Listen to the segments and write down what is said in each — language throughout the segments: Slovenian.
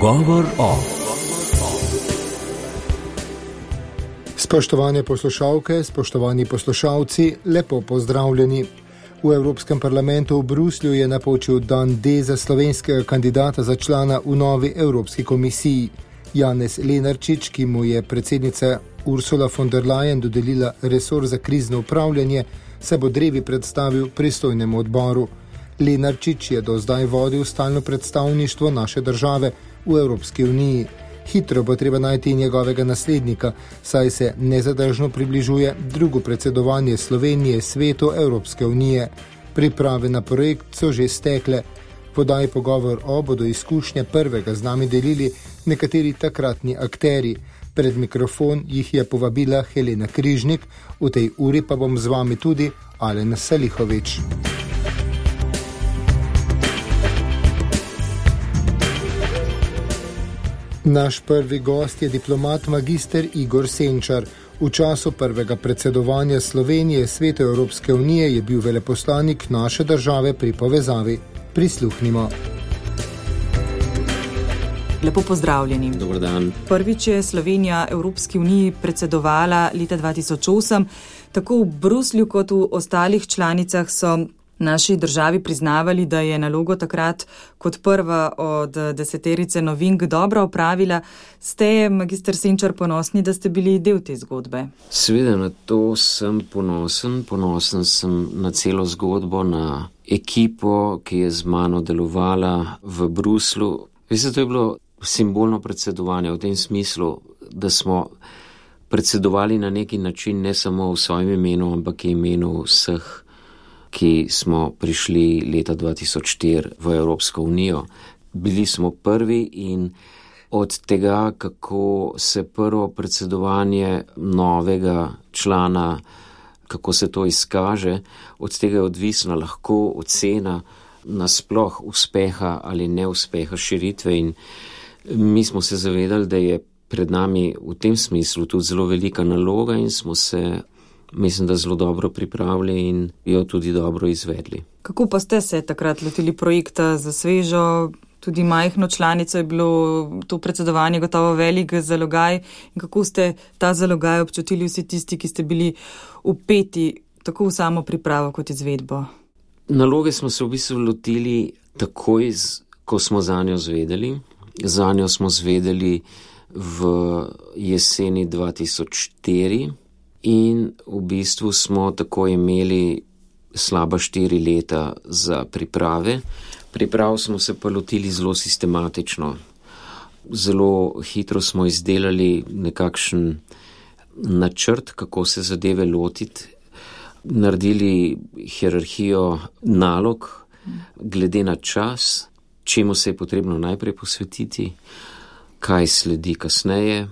Pogovor o. Spoštovane poslušalke, spoštovani poslušalci, lepo pozdravljeni. V Evropskem parlamentu v Bruslju je napočil dan D za slovenskega kandidata za člana v novi Evropski komisiji. Janez Lenarčič, ki mu je predsednica Ursula von der Leyen dodelila resor za krizno upravljanje, se bo drevi predstavil pristojnemu odboru. Lenarčič je do zdaj vodil stalno predstavništvo naše države v Evropski uniji. Hitro bo treba najti njegovega naslednika, saj se nezadržno približuje drugo predsedovanje Slovenije svetu Evropske unije. Priprave na projekt so že stekle. Podaj pogovor o bodo izkušnje prvega z nami delili nekateri takratni akteri. Pred mikrofon jih je povabila Helena Križnik, v tej uri pa bom z vami tudi Alen Salihovič. Naš prvi gost je diplomat magister Igor Senčar. V času prvega predsedovanja Slovenije svetu Evropske unije je bil veleposlanik naše države pri povezavi. Prisluhnimo. Lepo pozdravljeni. Dobar dan. Prvič je Slovenija Evropski uniji predsedovala leta 2008. Tako v Bruslju kot v ostalih članicah so naši državi priznavali, da je nalogo takrat kot prva od deseterice novink dobro opravila. Ste, magister Senčar, ponosni, da ste bili del te zgodbe? Seveda, na to sem ponosen. Ponosen sem na celo zgodbo, na ekipo, ki je z mano delovala v Bruslu. Veste, to je bilo simbolno predsedovanje v tem smislu, da smo predsedovali na neki način ne samo v svojem imenu, ampak v imenu vseh, ki smo prišli leta 2004 v Evropsko unijo. Bili smo prvi in od tega, kako se prvo predsedovanje novega člana, kako se to izkaže, od tega je odvisna lahko ocena nasploh uspeha ali neuspeha širitve in mi smo se zavedali, da je pred nami v tem smislu tudi zelo velika naloga in smo se, mislim, da zelo dobro pripravili in jo tudi dobro izvedli. Kako pa ste se takrat lotili projekta za svežo, tudi majhno članico, je bilo to predsedovanje gotovo velik zalogaj in kako ste ta zalogaj občutili vsi tisti, ki ste bili vpeti tako v samo pripravo kot izvedbo? Naloge smo se v bistvu lotili takoj, ko smo zanjo zvedeli. Zanjo smo zvedeli v jeseni 2004 in v bistvu smo tako imeli slaba 4 leta za priprave. Priprav smo se pa lotili zelo sistematično. Zelo hitro smo izdelali nekakšen načrt, kako se zadeve lotiti. Naredili hierarhijo nalog glede na čas, čemu se je potrebno najprej posvetiti, kaj sledi kasneje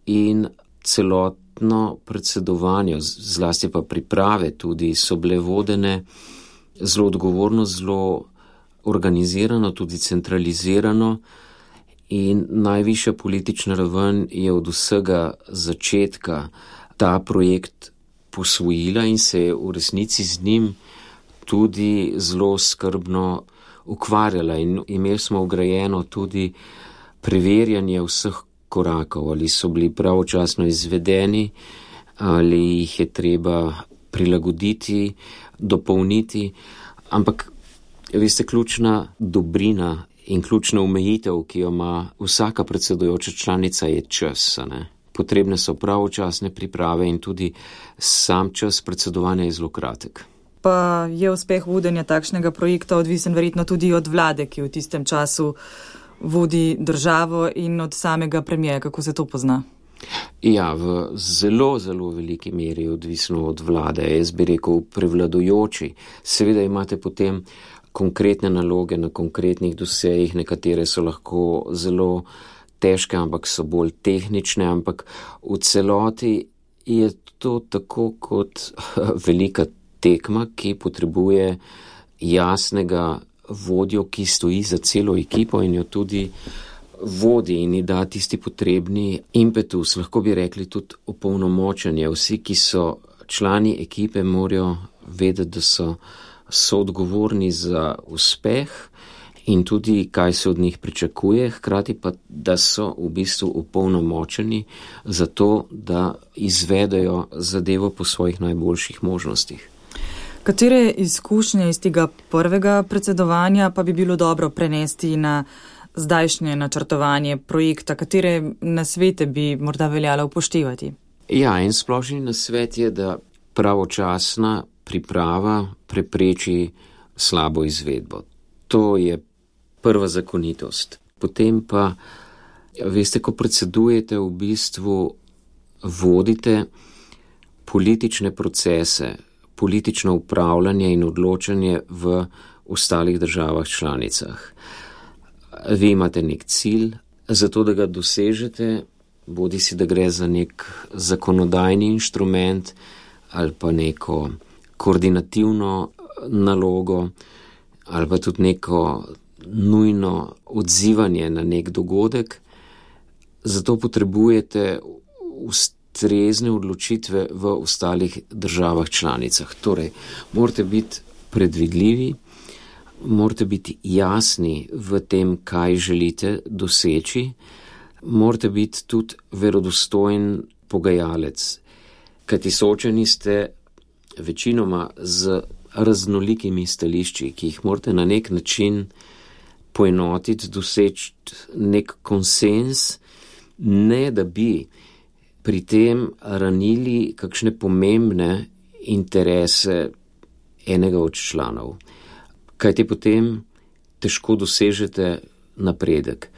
in celotno predsedovanje, zlasti pa priprave tudi so bile vodene zelo odgovorno, zelo organizirano, tudi centralizirano in najvišja politična raven je od vsega začetka ta projekt posvojila in se je v resnici z njim tudi zelo skrbno ukvarjala in imeli smo vgrajeno tudi preverjanje vseh korakov, ali so bili pravočasno izvedeni, ali jih je treba prilagoditi, dopolniti, ampak veste, ključna dobrina in ključna omejitev, ki jo ima vsaka predsedujoča članica, je čas, ne? Potrebne so pravočasne priprave in tudi sam čas predsedovanja je zelo kratek. Pa je uspeh vodenja takšnega projekta odvisen verjetno tudi od vlade, ki v tistem času vodi državo in od samega premijerja, kako se to pozna? Ja, v zelo, zelo veliki meri je odvisno od vlade, jaz bi rekel prevladujoči. Seveda imate potem konkretne naloge na konkretnih dosejih, nekatere so lahko zelo težke, ampak so bolj tehnične, ampak v celoti je to tako kot velika tekma, ki potrebuje jasnega vodjo, ki stoji za celo ekipo in jo tudi vodi in ji da tisti potrebni impetus, lahko bi rekli tudi opolnomočenje. Vsi, ki so člani ekipe, morajo vedeti, da so odgovorni za uspeh in tudi kaj se od njih pričakuje, hkrati pa, da so v bistvu opolnomočeni za to, da izvedejo zadevo po svojih najboljših možnostih. Katere izkušnje iz tega prvega predsedovanja pa bi bilo dobro prenesti na zdajšnje načrtovanje projekta? Katere nasvete bi morda veljalo upoštevati? Ja, en splošni nasvet je, da pravočasna priprava prepreči slabo izvedbo. To je prva zakonitost. Potem pa, veste, ko predsedujete, v bistvu vodite politične procese, politično upravljanje in odločanje v ostalih državah članicah. Vi imate nek cilj, zato da ga dosežete, bodi si, da gre za nek zakonodajni inštrument ali pa neko koordinativno nalogo ali pa tudi neko nujno odzivanje na nek dogodek. Zato potrebujete ustrezne odločitve v ostalih državah članicah. Torej, morate biti predvidljivi, morate biti jasni v tem, kaj želite doseči, morate biti tudi verodostojen pogajalec, kajti soočeni ste večinoma z raznolikimi stališči, ki jih morate na nek način poenotiti, doseči nek konsens, ne da bi pri tem ranili kakšne pomembne interese enega od članov, kajti potem težko dosežete napredek.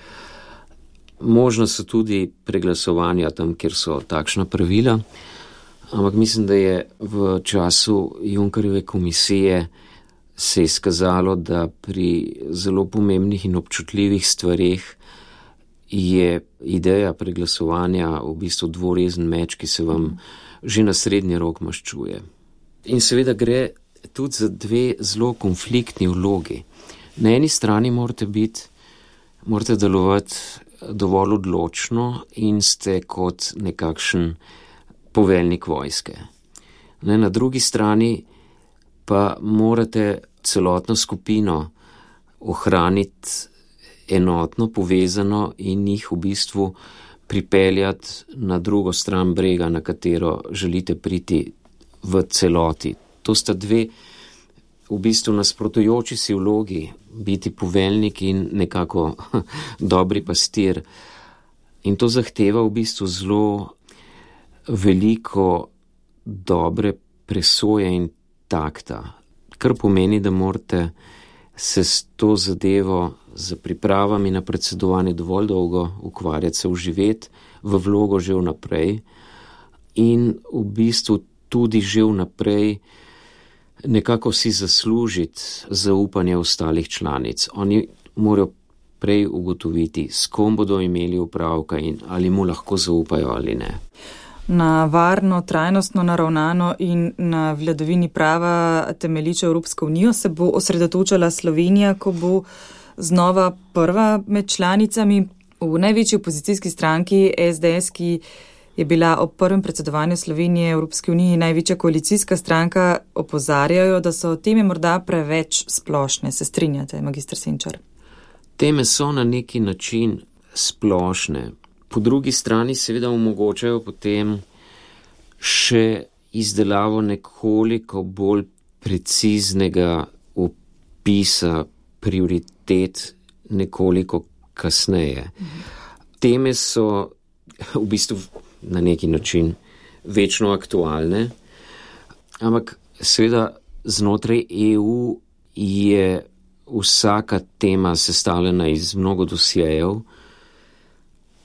Možno so tudi preglasovanja tam, kjer so takšna pravila, ampak mislim, da je v času Junckerjeve komisije se je izkazalo, da pri zelo pomembnih in občutljivih stvareh je ideja preglasovanja v bistvu dvorezen meč, ki se vam že na srednji rok maščuje. In seveda gre tudi za dve zelo konfliktni vlogi. Na eni strani morate delovati dovolj odločno in ste kot nekakšen poveljnik vojske. Na drugi strani pa morate celotno skupino ohraniti enotno, povezano in jih v bistvu pripeljati na drugo stran brega, na katero želite priti v celoti. To sta dve v bistvu nasprotujoči si vlogi, biti poveljnik in nekako dobri pastir. In to zahteva v bistvu zelo veliko dobre presoje in takta, kar pomeni, da morate se s to zadevo, z pripravami na predsedovanje dovolj dolgo ukvarjati, se vživeti v vlogo že vnaprej in v bistvu tudi že vnaprej nekako si zaslužiti zaupanje ostalih članic. Oni morajo prej ugotoviti, s kom bodo imeli opravka in ali mu lahko zaupajo ali ne. Na varno, trajnostno naravnano in na vladavini prava temeljičo Evropsko unijo se bo osredotočala Slovenija, ko bo znova prva med članicami. V največji opozicijski stranki SDS, ki je bila ob prvem predsedovanju Slovenije Evropske unije največja koalicijska stranka, opozarjajo, da so teme morda preveč splošne. Se strinjate, magister Senčar? Teme so na neki način splošne. Po drugi strani seveda omogočajo potem še izdelavo nekoliko bolj preciznega opisa prioritet nekoliko kasneje. Teme so v bistvu na neki način večno aktualne, ampak seveda znotraj EU je vsaka tema sestavljena iz mnogo dosjejev,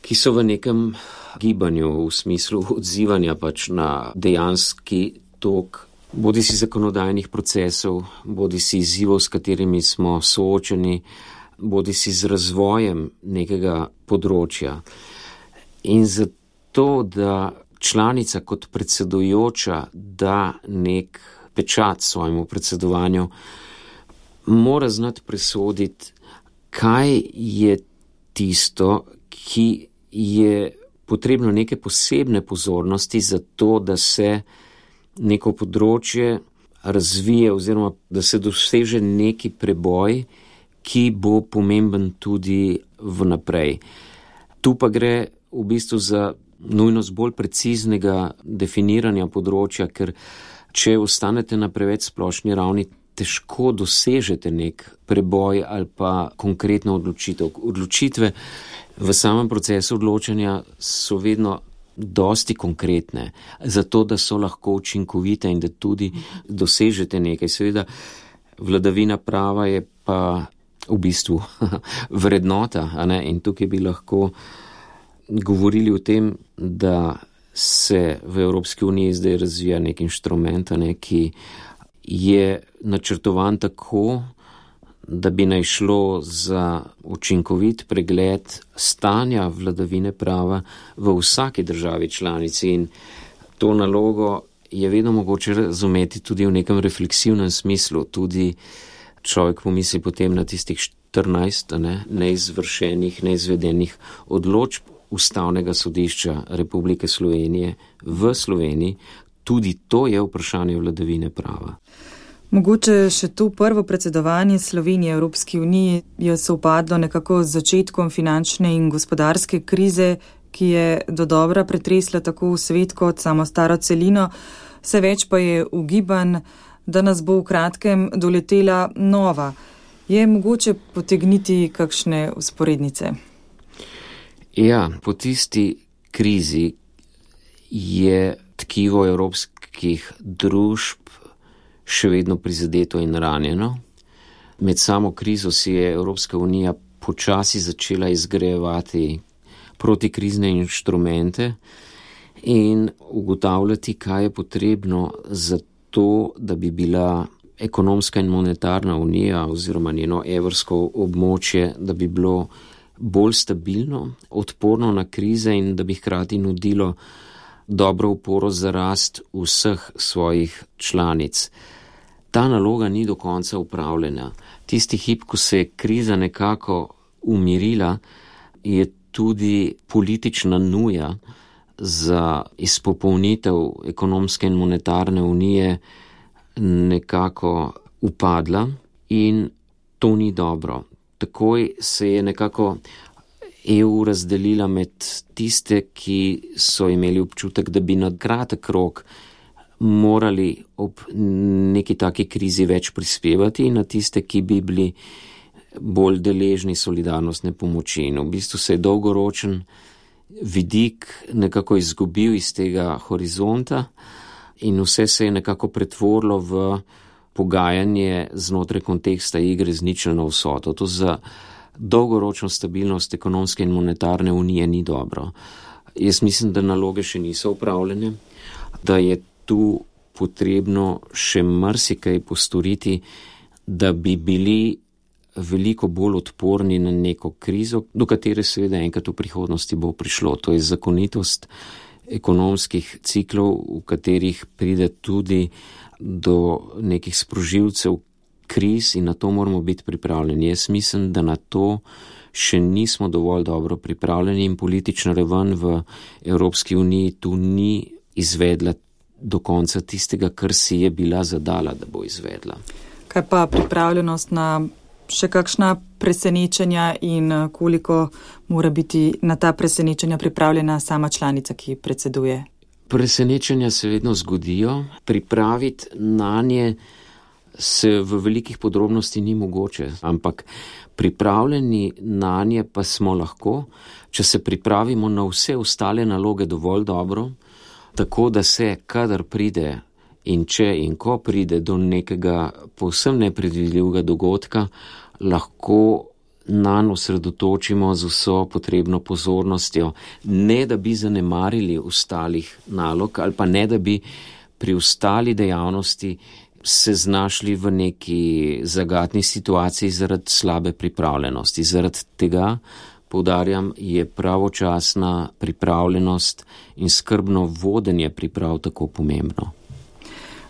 ki so v nekem gibanju v smislu odzivanja pač na dejanski tok, bodi si zakonodajnih procesov, bodi si izzivov, s katerimi smo soočeni, bodi si z razvojem nekega področja. In zato, da članica kot predsedujoča da nek pečat svojemu predsedovanju, mora znati presoditi, kaj je tisto, ki je potrebno neke posebne pozornosti za to, da se neko področje razvije oziroma da se doseže neki preboj, ki bo pomemben tudi vnaprej. Tu pa gre v bistvu za nujnost bolj preciznega definiranja področja, ker če ostanete na preveč splošni ravni, težko dosežete nek preboj ali pa konkretno odločitev. Odločitve v samem procesu odločanja so vedno dosti konkretne, zato da so lahko učinkovite in da tudi dosežete nekaj. Seveda, vladavina prava je pa v bistvu vrednota, a ne? In tukaj bi lahko govorili o tem, da se v Evropski uniji zdaj razvija nek inštrument, ki je načrtovan tako, da bi naj šlo za učinkovit pregled stanja vladavine prava v vsaki državi članici, in to nalogo je vedno mogoče razumeti tudi v nekem refleksivnem smislu. Tudi človek pomisli potem na tistih 14 neizvršenih, neizvedenih odločb Ustavnega sodišča Republike Slovenije v Sloveniji. Tudi to je vprašanje vladavine prava. Mogoče še to prvo predsedovanje Slovenije Evropski uniji je sovpadlo nekako z začetkom finančne in gospodarske krize, ki je dodobra pretresla tako svet kot samo staro celino. Vse več pa je ugibanj, da nas bo v kratkem doletela nova. Je mogoče potegniti kakšne vzporednice? Ja, po tisti krizi je tkivo evropskih družb še vedno prizadeto in ranjeno. Med samo krizo si je Evropska unija počasi začela izgrajevati protikrizne inštrumente in ugotavljati, kaj je potrebno za to, da bi bila ekonomska in monetarna unija oziroma njeno evrsko območje, da bi bilo bolj stabilno, odporno na krize in da bi hkrati nudilo dobro oporo za rast vseh svojih članic. Ta naloga ni do konca upravljena. Tisti hip, ko se je kriza nekako umirila, je tudi politična nuja za izpopolnitev ekonomske in monetarne unije nekako upadla in to ni dobro. Takoj se je nekako EU razdelila med tiste, ki so imeli občutek, da bi na kratek rok morali ob neki taki krizi več prispevati, in na tiste, ki bi bili bolj deležni solidarnostne pomoči. In v bistvu se je dolgoročen vidik nekako izgubil iz tega horizonta in vse se je nekako pretvorilo v pogajanje znotraj konteksta igre z ničelno vsoto. To za dolgoročno stabilnost ekonomske in monetarne unije ni dobro. Jaz mislim, da naloge še niso upravljene, da je tu potrebno še marsikaj postoriti, da bi bili veliko bolj odporni na neko krizo, do katere seveda enkrat v prihodnosti bo prišlo. To je zakonitost ekonomskih ciklov, v katerih pride tudi do nekih sprožilcev kriz, in na to moramo biti pripravljeni. Jaz mislim, da na to še nismo dovolj dobro pripravljeni in politična raven v Evropski uniji tu ni izvedla do konca tistega, kar si je bila zadala, da bo izvedla. Kaj pa pripravljenost na še kakšna presenečenja in koliko mora biti na ta presenečenja pripravljena sama članica, ki predseduje? Presenečenja se vedno zgodijo, pripraviti na nje se v velikih podrobnosti ni mogoče, ampak pripravljeni na nje pa smo lahko, če se pripravimo na vse ostale naloge dovolj dobro, tako da se, kadar pride in če in ko pride do nekega povsem nepredvidljivega dogodka, lahko nanj osredotočimo z vso potrebno pozornostjo, ne da bi zanemarili ostalih nalog ali pa ne da bi pri ostali dejavnosti se znašli v neki zagatni situaciji zaradi slabe pripravljenosti. Zaradi tega, poudarjam, je pravočasna pripravljenost in skrbno vodenje priprav tako pomembno.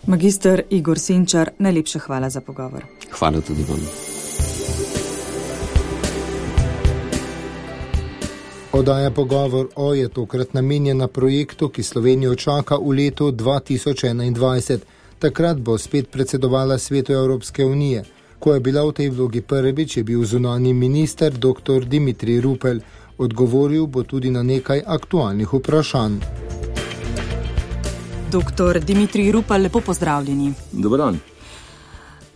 Magister Igor Senčar, najlepša hvala za pogovor. Hvala tudi vam. Oddaja Pogovor O je tokrat namenjena projektu, ki Slovenijo čaka v letu 2021. Takrat bo spet predsedovala Svetu Evropske unije. Ko je bila v tej vlogi prvič, je bil zunanji minister dr. Dimitrij Rupel. Odgovoril bo tudi na nekaj aktualnih vprašanj. Dr. Dimitrij Rupel, lepo pozdravljeni. Dober dan.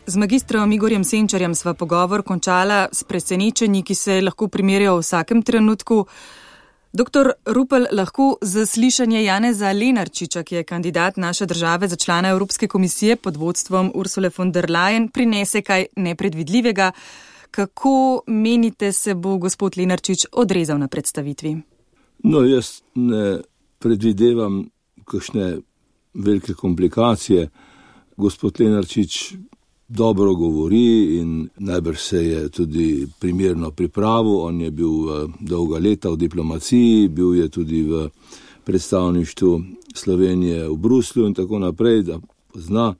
Z magistrom Igorjem Senčarjem sva pogovor končala s presenečenji, ki se lahko primerjajo v vsakem trenutku. Dr. Rupel, lahko zaslišanje Janeza Lenarčiča, ki je kandidat naše države za člana Evropske komisije pod vodstvom Ursule von der Leyen, prinese kaj nepredvidljivega. Kako menite, se bo gospod Lenarčič odrezal na predstavitvi? No, jaz ne predvidevam kakšne velike komplikacije. Gospod Lenarčič dobro govori in najbrž se je tudi primerno pripravil. On je bil dolga leta v diplomaciji, bil je tudi v predstavništvu Slovenije v Bruslju in tako naprej, da zna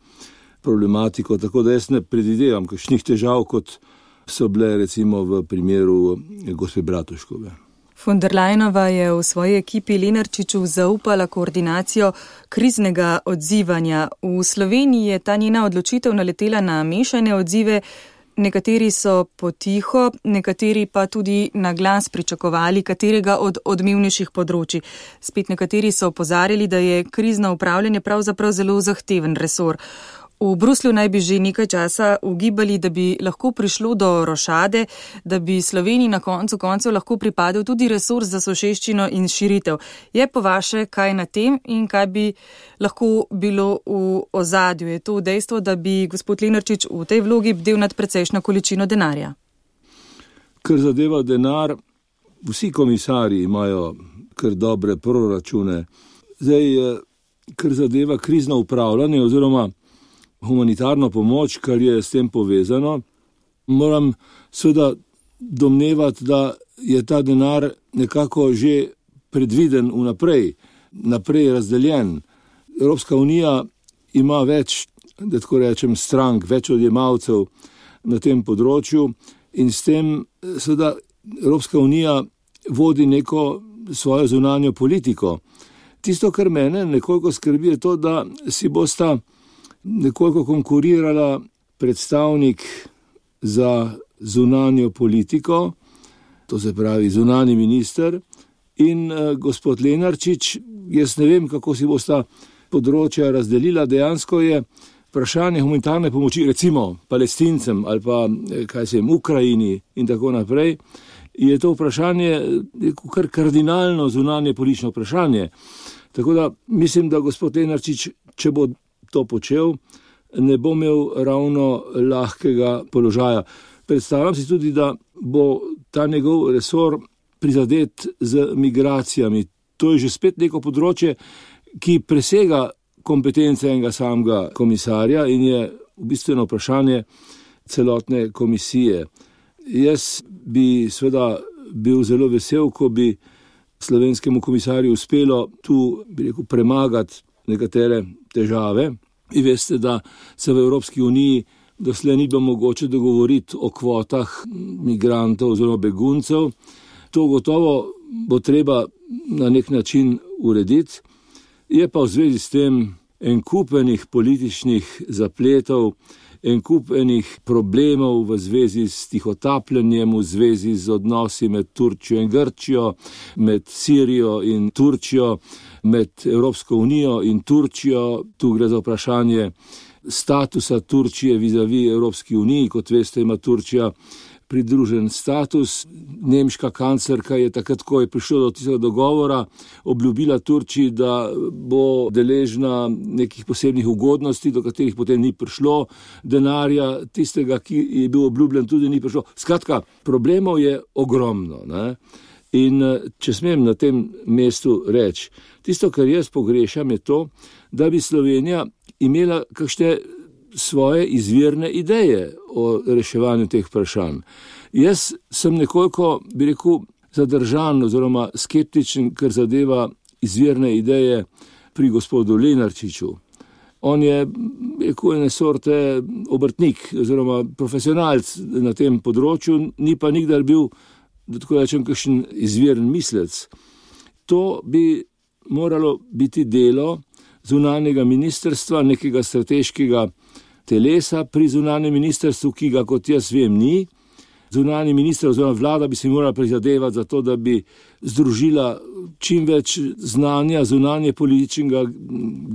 problematiko, tako da jaz ne predvidevam kakšnih težav, kot so bile recimo v primeru gospe Bratuškove. Von der Leyenova je v svoji ekipi Lenarčiču zaupala koordinacijo kriznega odzivanja. V Sloveniji je ta njena odločitev naletela na mešane odzive. Nekateri so potiho, nekateri pa tudi na glas pričakovali katerega od odmevnejših področij. Spet nekateri so opozarjali, da je krizno upravljanje pravzaprav zelo zahteven resor. V Bruslju naj bi že nekaj časa ugibali, da bi lahko prišlo do rošade, da bi Sloveniji na koncu koncev lahko pripadel tudi resor za soseščino in širitev. Je po vaše kaj na tem in kaj bi lahko bilo v ozadju? Je to dejstvo, da bi gospod Lenarčič v tej vlogi bdel nad precejšno količino denarja? Kar zadeva denar, vsi komisarji imajo kar dobre proračune. Zdaj, kar zadeva krizno upravljanje oziroma humanitarno pomoč, kar je s tem povezano, moram seveda domnevati, da je ta denar nekako že predviden naprej razdeljen. Evropska unija ima več, da tako rečem, strank, več odjemalcev na tem področju in s tem seveda Evropska unija vodi neko svojo zunanjo politiko. Tisto, kar mene nekoliko skrbi, je to, da si bosta nekoliko konkurirala predstavnik za zunanjo politiko, to se pravi zunanji minister, in gospod Lenarčič. Jaz ne vem, kako si bosta področja razdelila. Dejansko je vprašanje humanitarne pomoči, recimo Palestincem ali pa Ukrajini in tako naprej, je to vprašanje kar kardinalno zunanje politično vprašanje. Tako da mislim, da gospod Lenarčič, če bo to počel, ne bo imel ravno lahkega položaja. Predstavljam si tudi, da bo ta njegov resor prizadet z migracijami. To je že spet neko področje, ki presega kompetence enega samega komisarja in je v bistvu vprašanje celotne komisije. Jaz bi seveda bil zelo vesel, ko bi slovenskemu komisarju uspelo tu, premagati nekatere težave. Vi veste, da se v Evropski uniji doslej ni bilo mogoče dogovoriti o kvotah migrantov oziroma beguncev. To gotovo bo treba na nek način urediti. Je pa v zvezi s tem en kup enih političnih zapletov, en kup enih problemov v zvezi s tihotapljenjem, v zvezi z odnosi med Turčijo in Grčijo, med Sirijo in Turčijo, med Evropsko unijo in Turčijo. Tu gre za vprašanje statusa Turčije vis-a-vis Evropski uniji. Kot veste, ima Turčija pridružen status. Nemška kanclerka je takrat, ko je prišlo do tistega dogovora, obljubila Turčiji, da bo deležna nekih posebnih ugodnosti, do katerih potem ni prišlo. Denarja tistega, ki je bil obljubljen, tudi ni prišlo. Skratka, problemov je ogromno, ne? In če smem na tem mestu reči, tisto, kar jaz pogrešam, je to, da bi Slovenija imela kakšne svoje izvirne ideje o reševanju teh vprašanj. Jaz sem nekoliko, zadržan oziroma skeptičen, kar zadeva izvirne ideje pri gospodu Lenarčiču. On je, ene sorte obrtnik oziroma profesionalc na tem področju, ni pa nikdar bil, da tako rečem, kakšen izviren mislec. To bi moralo biti delo zunanjega ministrstva, nekega strateškega telesa pri zunanjem ministrstvu, ki ga kot jaz vem ni. Zunanji minister oziroma vlada bi se morala prizadevati za to, da bi združila čim več znanja zunanje političnega,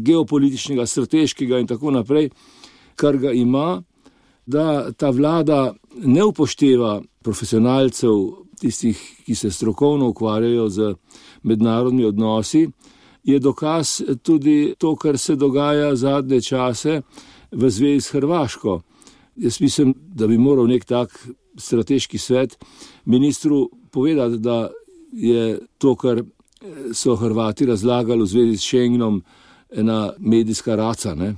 geopolitičnega, strateškega in tako naprej, kar ga ima, da ta vlada ne upošteva profesionalcev, tistih, ki se strokovno ukvarjajo z mednarodnimi odnosi, je dokaz tudi to, kar se dogaja zadnje čase v zvezi s Hrvaško. Jaz mislim, da bi moral nek tak strateški svet ministru povedati, da je to, kar so Hrvati razlagali v zvezi s Schengenom, ena medijska raca. Ne?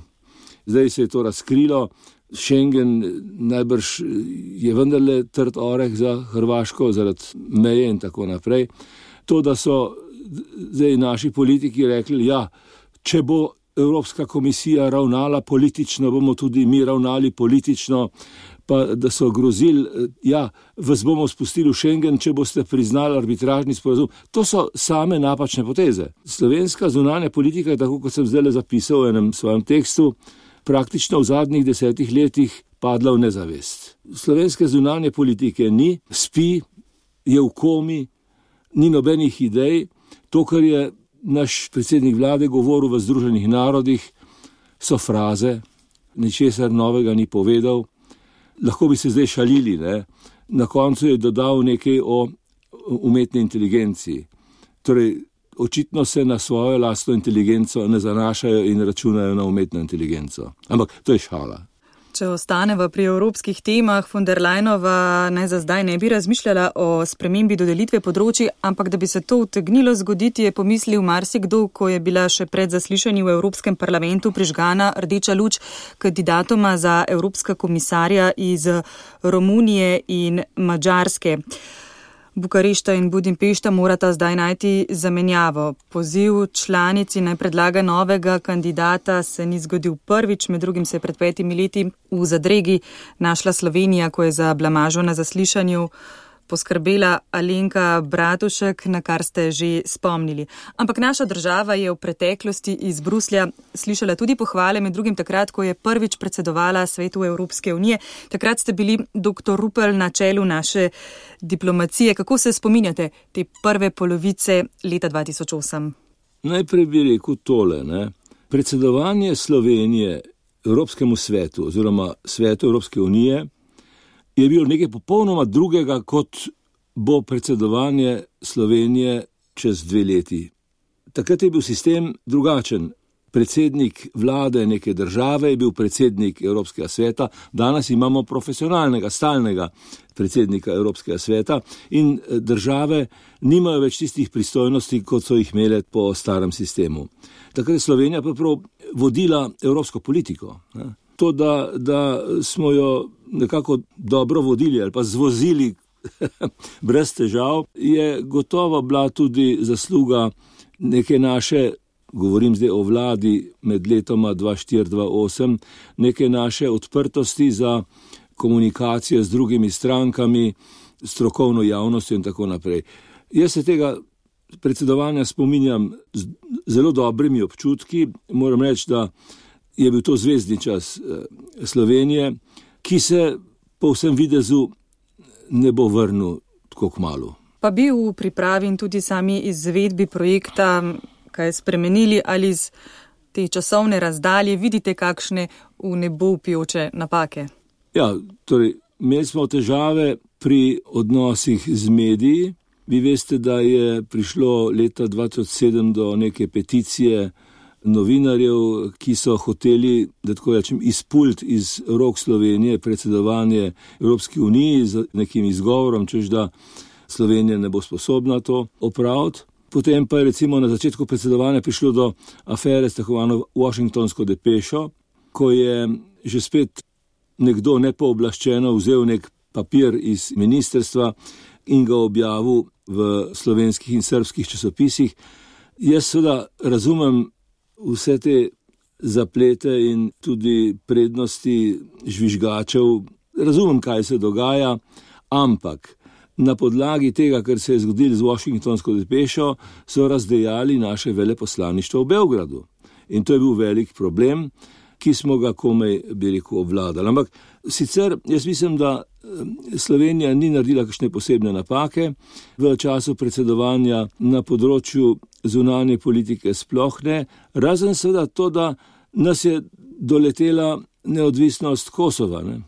Zdaj se je to razkrilo. Schengen najbrž je vendarle trd oreh za Hrvaško zaradi meje in tako naprej. To, da so zdaj naši politiki rekli, ja, če bo Evropska komisija ravnala politično, bomo tudi mi ravnali politično, pa da so grozili, ja, vas bomo spustili v Schengen, če boste priznali arbitražni sporazum. To so same napačne poteze. Slovenska zunanja politika je, tako kot sem zdaj zapisal v enem svojem tekstu, praktično v zadnjih 10 letih padla v nezavest. Slovenske zunanje politike ni, spi, je v komi, ni nobenih idej. To, kar je naš predsednik vlade govoril v Združenih narodih, so fraze, ničesar novega ni povedal. Lahko bi se zdaj šalili, ne? Na koncu je dodal nekaj o umetni inteligenciji. Torej, očitno se na svojo lastno inteligenco ne zanašajo in računajo na umetno inteligenco. Ampak to je šala. Če ostaneva pri evropskih temah, von der Leyenova naj za zdaj ne bi razmišljala o spremembi dodelitve področij, ampak da bi se to utegnilo zgoditi, je pomislil marsikdo, ko je bila še pred zaslišanji v Evropskem parlamentu prižgana rdeča luč kandidatoma za evropska komisarja iz Romunije in Madžarske. Bukarešta in Budimpešta morata zdaj najti zamenjavo. Poziv članici naj predlaga novega kandidata se ni zgodil prvič, med drugim se je pred 5 leti v zadregi našla Slovenija, ko je za blamažo na zaslišanju poskrbela Alenka Bratušek, na kar ste že spomnili. Ampak naša država je v preteklosti iz Bruslja slišala tudi pohvale, med drugim takrat, ko je prvič predsedovala Svetu Evropske unije. Takrat ste bili dr. Rupel na čelu naše diplomacije. Kako se spominjate te prve polovice leta 2008? Najprej bi rekel tole, ne? Predsedovanje Slovenije Evropskemu svetu oziroma Svetu Evropske unije je bilo nekaj popolnoma drugega, kot bo predsedovanje Slovenije čez 2 leti. Takrat je bil sistem drugačen. Predsednik vlade neke države je bil predsednik Evropskega sveta, danes imamo profesionalnega, stalnega predsednika Evropskega sveta in države nimajo več tistih pristojnosti, kot so jih imele po starem sistemu. Takrat je Slovenija prav vodila evropsko politiko. To, da smo jo nekako dobro vodili ali pa zvozili brez težav, je gotovo bila tudi zasluga neke naše, govorim zdaj o vladi med letoma 2004-2008, neke naše odprtosti za komunikacijo z drugimi strankami, strokovno javnostjo in tako naprej. Jaz se tega predsedovanja spominjam z zelo dobrimi občutki. Moram reči, da je bil to zvezdni čas Slovenije, ki se po vsem videzu ne bo vrnil tako kmalu. Pa bi v pripravi in tudi sami izvedbi projekta kaj spremenili ali z te časovne razdalje vidite kakšne v nebo vpijoče napake? Ja, torej, imeli smo težave pri odnosih z mediji. Vi veste, da je prišlo leta 2007 do neke peticije novinarjev, ki so hoteli, da tako rečem, izpult iz rok Slovenije predsedovanje Evropski uniji z nekim izgovorom, češ da Slovenija ne bo sposobna to opraviti. Potem pa je recimo na začetku predsedovanja prišlo do afere s tako imenovano Washingtonsko depešo, ko je že spet nekdo nepooblaščeno vzel nek papir iz ministrstva in ga objavil v slovenskih in srbskih časopisih. Jaz seveda razumem vse te zaplete in tudi prednosti žvižgačev, razumem, kaj se dogaja, ampak na podlagi tega, kar se je zgodilo z Washingtonsko depešo, so razdejali naše veleposlaništvo v Beogradu. In to je bil velik problem, ki smo ga komaj, obvladali. Ampak sicer jaz mislim, da Slovenija ni naredila kakšne posebne napake v času predsedovanja na področju zunanje politike sploh ne, razen seveda to, da nas je doletela neodvisnost Kosova. Ne?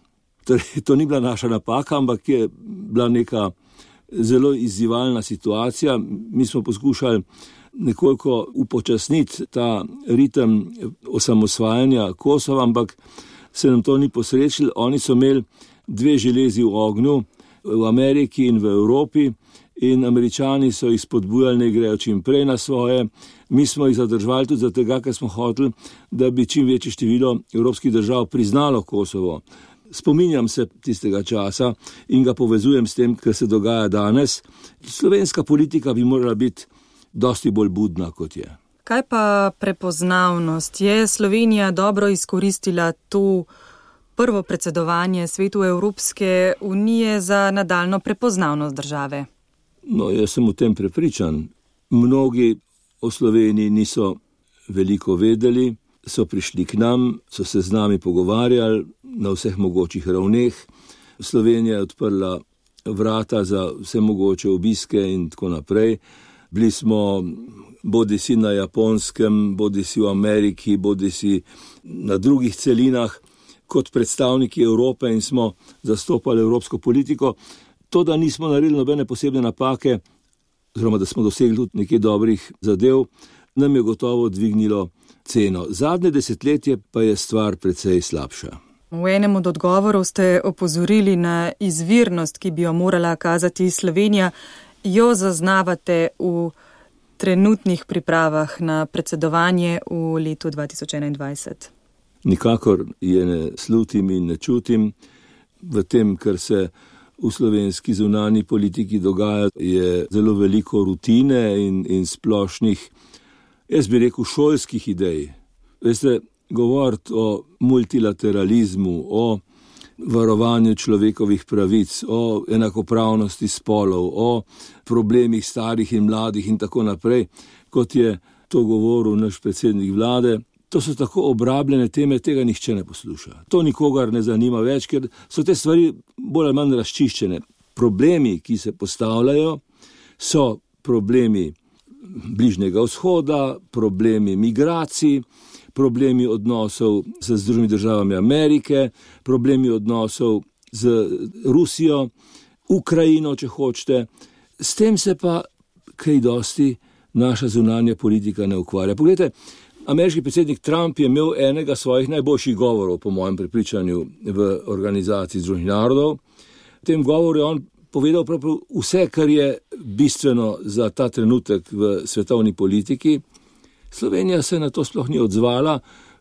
Torej, to ni bila naša napaka, ampak je bila neka zelo izzivalna situacija. Mi smo poskušali nekoliko upočasniti ta ritem osamosvajanja Kosova, ampak se nam to ni posrečilo. Oni so imeli 2 železi v ognju, v Ameriki in v Evropi, in Američani so jih spodbujali, ne grejo čim prej na svoje. Mi smo jih zadržali tudi zato, ker smo hoteli, da bi čim večje število evropskih držav priznalo Kosovo. Spominjam se tistega časa in ga povezujem s tem, kar se dogaja danes. Slovenska politika bi morala biti dosti bolj budna, kot je. Kaj pa prepoznavnost? Je Slovenija dobro izkoristila to prvo predsedovanje Svetu Evropske unije za nadaljno prepoznavnost države? No, jaz sem o tem prepričan. Mnogi o Sloveniji niso veliko vedeli, so prišli k nam, so se z nami pogovarjali na vseh mogočih ravneh. Slovenija je odprla vrata za vse mogoče obiske in tako naprej. Bili smo bodisi na Japonskem, bodisi v Ameriki, bodisi na drugih celinah kot predstavniki Evrope in smo zastopali evropsko politiko. To, da nismo naredili nobene posebne napake, oziroma da smo dosegli tudi nekaj dobrih zadev, nam je gotovo dvignilo ceno. Zadnje desetletje pa je stvar precej slabša. V enem od odgovorov ste opozorili na izvirnost, ki bi jo morala kazati Slovenija. Jo zaznavate v trenutnih pripravah na predsedovanje v letu 2021? Nikakor je ne slutim in ne čutim. V tem, kar se v slovenski zunanji politiki dogaja, je zelo veliko rutine in splošnih, jaz bi rekel, šolskih idej. Veste, govoriti o multilateralizmu, o varovanju človekovih pravic, o enakopravnosti spolov, o problemih starih in mladih in tako naprej, kot je to govoril naš predsednik vlade. To so tako obrabljene teme, tega nihče ne posluša. To nikogar ne zanima več, ker so te stvari bolj ali manj razčiščene. Problemi, ki se postavljajo, so problemi Bližnjega vzhoda, problemi migracij, problemi odnosov z Združenimi državami Amerike, problemi odnosov z Rusijo, Ukrajino, če hočete. S tem se pa kaj dosti naša zunanja politika ne ukvarja. Poglejte, ameriški predsednik Trump je imel enega svojih najboljših govorov, po mojem prepričanju, v organizaciji Združenih narodov. V tem govoru je on povedal vse, kar je bistveno za ta trenutek v svetovni politiki. Slovenija se na to sploh ni odzvala.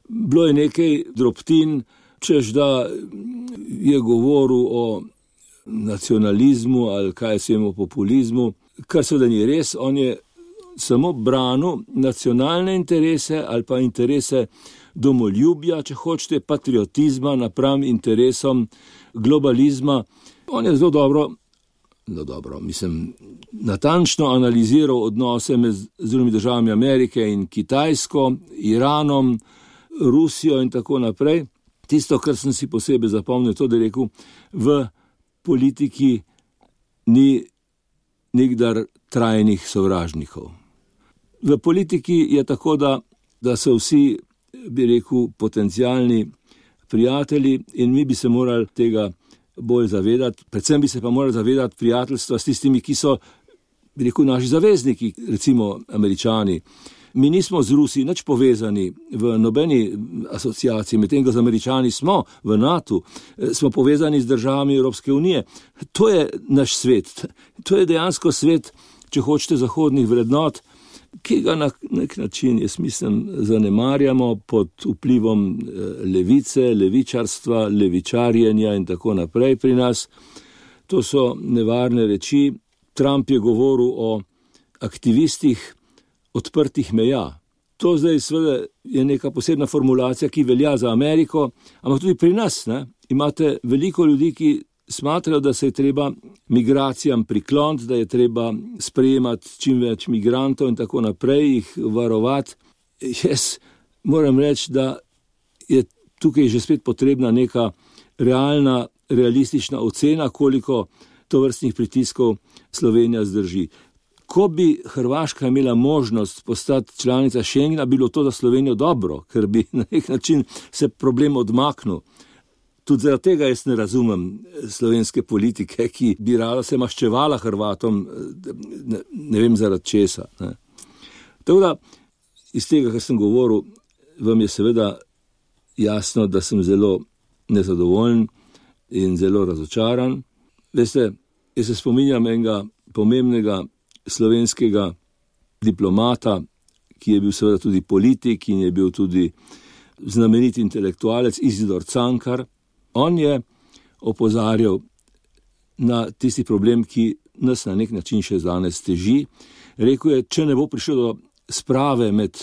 Bilo je nekaj drobtin, češ da je govoril o nacionalizmu ali kaj se o populizmu, kar seveda ni res. On je samo branil nacionalne interese ali pa interese domoljubja, če hočete, patriotizma napram interesom globalizma. On je zelo dobro, natančno analiziral odnose med Združenimi državami Amerike in Kitajsko, Iranom, Rusijo in tako naprej. Tisto, kar sem si posebej zapomnil, to, da je rekel, v politiki ni nikdar trajnih sovražnikov. V politiki je tako, da so vsi, bi rekel, potencialni prijatelji in mi bi se morali tega bolj zavedati. Predvsem bi se pa morali zavedati prijateljstva s tistimi, ki so, bi rekel, naši zavezniki, recimo Američani. Mi nismo z Rusi nič povezani v nobeni asociaciji, medtem ko z Američani smo v NATO, smo povezani z državami Evropske unije. To je naš svet. To je dejansko svet, če hočete, zahodnih vrednot, ki ga na nek način, jaz mislim, zanemarjamo pod vplivom levice, levičarstva, levičarjenja in tako naprej pri nas. To so nevarne reči. Trump je govoril o aktivistih odprtih meja. To zdaj seveda je neka posebna formulacija, ki velja za Ameriko, ampak tudi pri nas, ne? Imate veliko ljudi, ki smatrajo, da se je treba migracijam prikloniti, da je treba sprejemati čim več migrantov in tako naprej, jih varovati. Jaz moram reči, da je tukaj je že spet potrebna neka realna, realistična ocena, koliko tovrstnih pritiskov Slovenija zdrži. Ko bi Hrvaška imela možnost postati članica Schengena, bilo to za Slovenijo dobro, ker bi na nek način se problem odmaknil. Tudi zaradi tega jaz ne razumem slovenske politike, ki bi rada se maščevala Hrvatom, ne vem zaradi česa. Ne. Tako da, iz tega, kar sem govoril, vam je seveda jasno, da sem zelo nezadovoljen in zelo razočaran. Veste, jaz se spominjam enega pomembnega slovenskega diplomata, ki je bil seveda tudi politik in je bil tudi znamenit intelektualec, Izidor Cankar. On je opozarjal na tisti problem, ki nas na nek način še danes teži. Rekel je, če ne bo prišlo do sprave med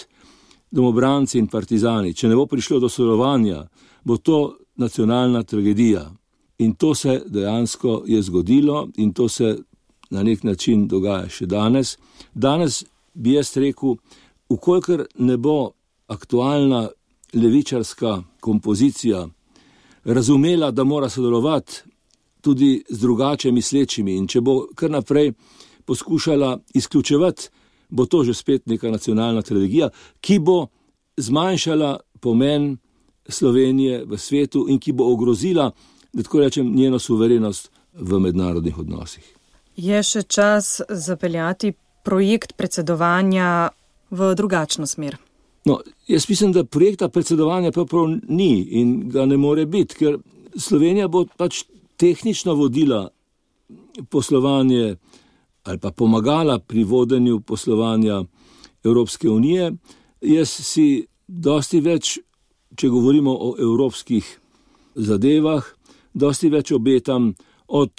domobranci in partizani, če ne bo prišlo do sodelovanja, bo to nacionalna tragedija. In to se dejansko je zgodilo in to se na nek način dogaja še danes. Danes bi jaz rekel, ukolikor ne bo aktualna levičarska kompozicija razumela, da mora sodelovati tudi z drugače mislečimi in če bo kar naprej poskušala izključevati, bo to že spet neka nacionalna tragedija, ki bo zmanjšala pomen Slovenije v svetu in ki bo ogrozila, da tako rečem, njeno suverenost v mednarodnih odnosih. Je še čas zapeljati projekt predsedovanja v drugačno smer? No, jaz mislim, da projekta predsedovanja prav ni in ga ne more biti, ker Slovenija bo pač tehnično vodila poslovanje ali pa pomagala pri vodenju poslovanja Evropske unije. Jaz si dosti več, če govorimo o evropskih zadevah, dosti več obetam od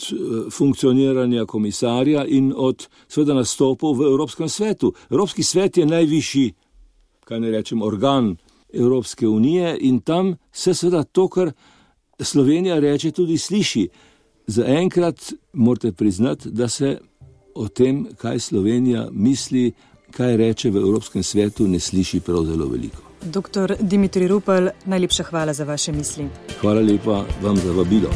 funkcioniranja komisarja in od seveda nastopov v Evropskem svetu. Evropski svet je najvišji, kaj ne rečem, organ Evropske unije in tam se seveda to, kar Slovenija reče, tudi sliši. Zaenkrat morate priznati, da se o tem, kaj Slovenija misli, kaj reče v Evropskem svetu, ne sliši prav zelo veliko. Dr. Dimitrij Rupel, najlepša hvala za vaše misli. Hvala lepa vam za vabilo.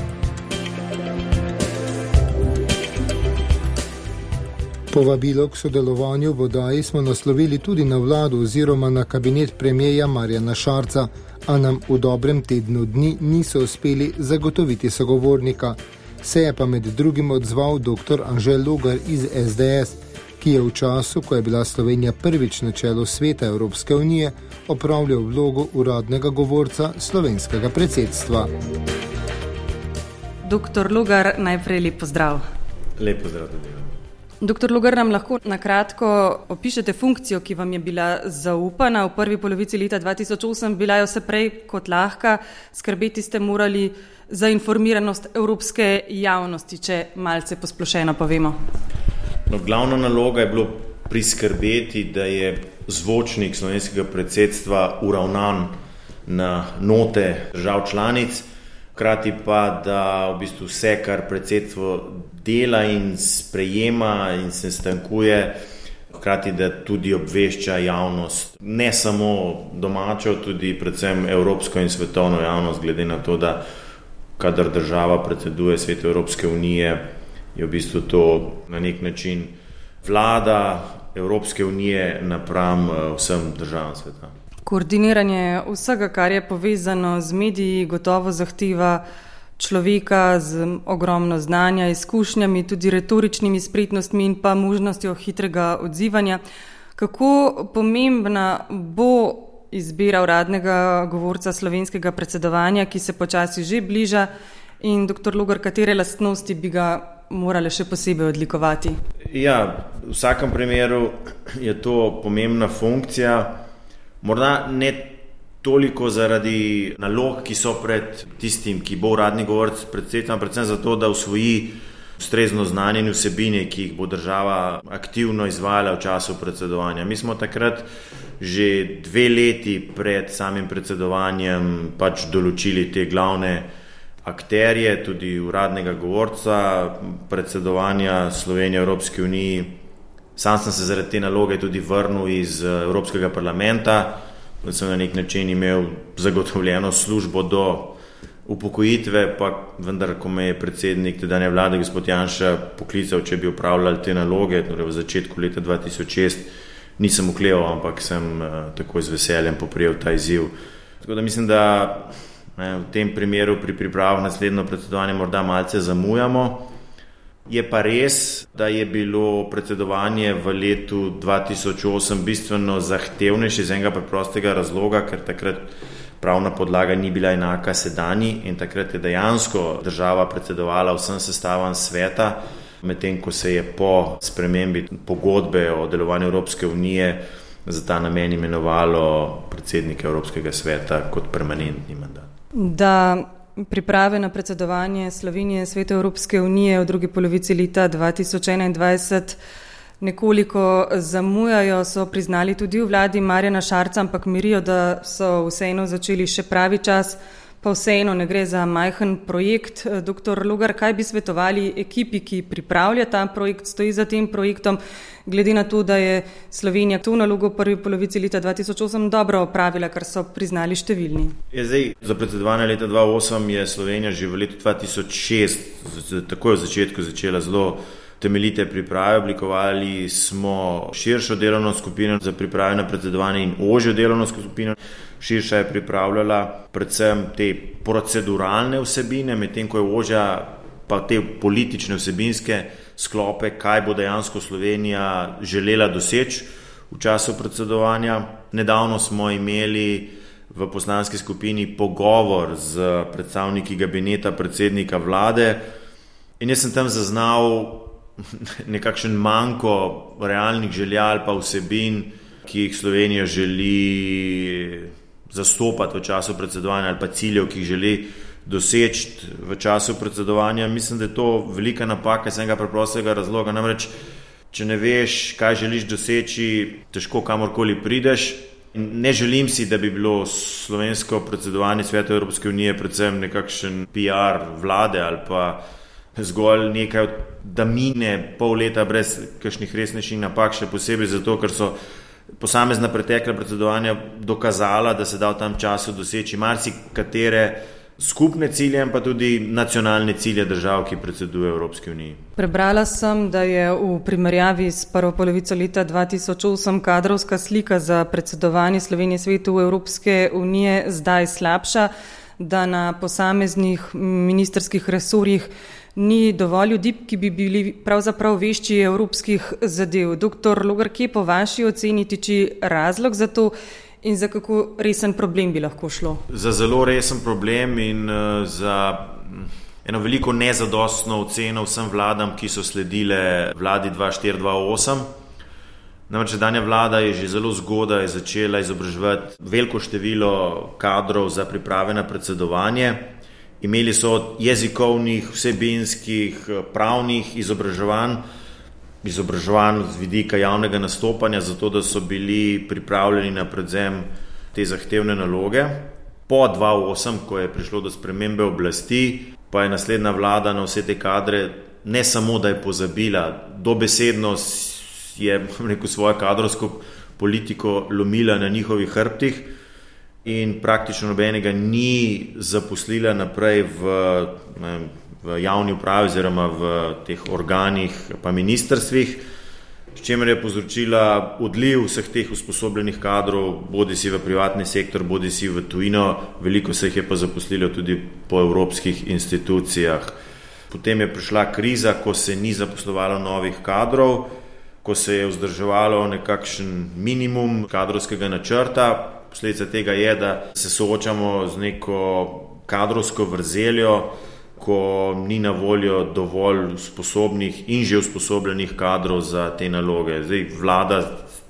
Povabilo k sodelovanju v oddaji smo naslovili tudi na vlado oziroma na kabinet premierja Marjana Šarca, a nam v dobrem tednu dni niso uspeli zagotoviti sogovornika. Se je pa med drugim odzval dr. Anže Logar iz SDS, ki je v času, ko je bila Slovenija prvič na čelu Sveta Evropske unije, opravljal vlogo uradnega govorca slovenskega predsedstva. Dr. Logar, najprej lep pozdrav. Lep pozdrav tudi. Dr. Logar, nam lahko nakratko opišete funkcijo, ki vam je bila zaupana v prvi polovici leta 2008, bila je vse prej kot lahka, skrbeti ste morali za informiranost evropske javnosti, če malce posplošeno povemo. No, glavna naloga je bilo priskrbeti, da je zvočnik slovenskega predsedstva uravnan na note držav članic, hkrati pa, da v bistvu vse, kar predsedstvo dela in sprejema in se stankuje, hkrati da tudi obvešča javnost, ne samo domačo, tudi predvsem evropsko in svetovno javnost, glede na to, da kadar država predseduje Svetu Evropske unije, je v bistvu to na nek način vlada Evropske unije napram vsem državam sveta. Koordiniranje vsega, kar je povezano z mediji, gotovo zahteva človeka z ogromno znanja, izkušnjami, tudi retoričnimi spretnostmi in pa možnostjo hitrega odzivanja. Kako pomembna bo izbira uradnega govorca slovenskega predsedovanja, ki se počasi že bliža, in dr. Logar, katere lastnosti bi ga morale še posebej odlikovati? Ja, v vsakem primeru je to pomembna funkcija, morda ne toliko zaradi nalog, ki so pred tistim, ki bo uradni govorec predsedstva, predvsem zato, da usvoji ustrezno znanje in vsebine, ki jih bo država aktivno izvajala v času predsedovanja. Mi smo takrat že 2 leti pred samim predsedovanjem pač določili te glavne akterje, tudi uradnega govorca predsedovanja Slovenije Evropski uniji. Sam sem se zaradi te naloge tudi vrnil iz Evropskega parlamenta, da sem na nek način imel zagotovljeno službo do upokojitve, pa vendar, ko me je predsednik tedanje vlade, gospod Janša, poklical, če bi upravljali te naloge, torej v začetku leta 2006, nisem okleval, ampak sem takoj z veseljem poprijel ta izziv. Tako da mislim, da v tem primeru pri pripravah naslednjo predsedovanje morda malce zamujamo. Je pa res, da je bilo predsedovanje v letu 2008 bistveno zahtevnejše iz enega preprostega razloga, ker takrat pravna podlaga ni bila enaka sedanji in takrat je dejansko država predsedovala vsem sestavam sveta, medtem ko se je po spremembi pogodbe o delovanju Evropske unije za ta namen imenovalo predsednika Evropskega sveta kot permanentni mandat. Da priprave na predsedovanje Slovenije Svetu Evropske unije v drugi polovici leta 2021 nekoliko zamujajo, so priznali tudi v vladi Marjana Šarca, ampak mirijo, da so vseeno začeli še pravi čas, pa vseeno ne gre za majhen projekt. Dr. Logar, kaj bi svetovali ekipi, ki pripravlja ta projekt, stoji za tem projektom, glede na to, da je Slovenija to nalogo v prvi polovici leta 2008 dobro opravila, kar so priznali številni? Za predsedovanje leta 2008 je Slovenija že v letu 2006, takoj v začetku, začela zelo temeljite priprave. Oblikovali smo širšo delovno skupino za priprave na predsedovanje in ožjo delovno skupino. Širša je pripravljala predvsem te proceduralne vsebine, medtem ko je ožja pa te politične vsebinske sklope, kaj bo dejansko Slovenija želela doseči v času predsedovanja. Nedavno smo imeli v poslanski skupini pogovor z predstavniki kabineta predsednika vlade in jaz sem tam zaznal nekakšen manko realnih želja ali pa vsebin, ki jih Slovenija želi zastopati v času predsedovanja ali pa ciljev, ki jih želi doseči v času predsedovanja. Mislim, da je to velika napaka iz enega preprostega razloga. Namreč, če ne veš, kaj želiš doseči, težko kamorkoli prideš. In ne želim si, da bi bilo slovensko predsedovanje Svetu Evropske unije predvsem nekakšen PR vlade ali pa zgolj nekaj, da mine pol leta brez kakšnih resnejših napak, še posebej zato, ker so posamezna pretekla predsedovanja dokazala, da se da v tem času doseči marsikatere skupne cilje, pa tudi nacionalne cilje držav, ki predsedujejo Evropski uniji. Prebrala sem, da je v primerjavi s prvo polovico leta 2008 kadrovska slika za predsedovanje Slovenije Svetu Evropske unije zdaj slabša, da na posameznih ministerskih resorjih ni dovolj ljudi, ki bi bili pravzaprav vešči evropskih zadev. Dr. Logar, kje po vaši oceni tiči razlog za to in za kako resen problem bi lahko šlo? Za zelo resen problem in za eno veliko nezadostno oceno vsem vladam, ki so sledile vladi 2004-2008. Namreč sedanja vlada je že zelo zgodaj začela izobraževati veliko število kadrov za priprave na predsedovanje. Imeli so jezikovnih, vsebinskih, pravnih izobraževanj z vidika javnega nastopanja, zato da so bili pripravljeni na prevzem te zahtevne naloge. Po 2008, ko je prišlo do spremembe oblasti, pa je naslednja vlada na vse te kadre ne samo, da je pozabila, dobesedno je svojo kadrovsko politiko lomila na njihovih hrbtih in praktično nobenega ni zaposlila naprej v javni upravi oziroma v teh organih pa ministrstvih, s čimer je povzročila odliv vseh teh usposobljenih kadrov, bodisi v privatni sektor, bodisi v tujino, veliko se jih je pa zaposlilo tudi po evropskih institucijah. Potem je prišla kriza, ko se ni zaposlovalo novih kadrov, ko se je vzdrževalo nekakšen minimum kadrovskega načrta. Posledica tega je, da se soočamo z neko kadrovsko vrzeljo, ko ni na voljo dovolj sposobnih in že usposobljenih kadrov za te naloge. Zdaj vlada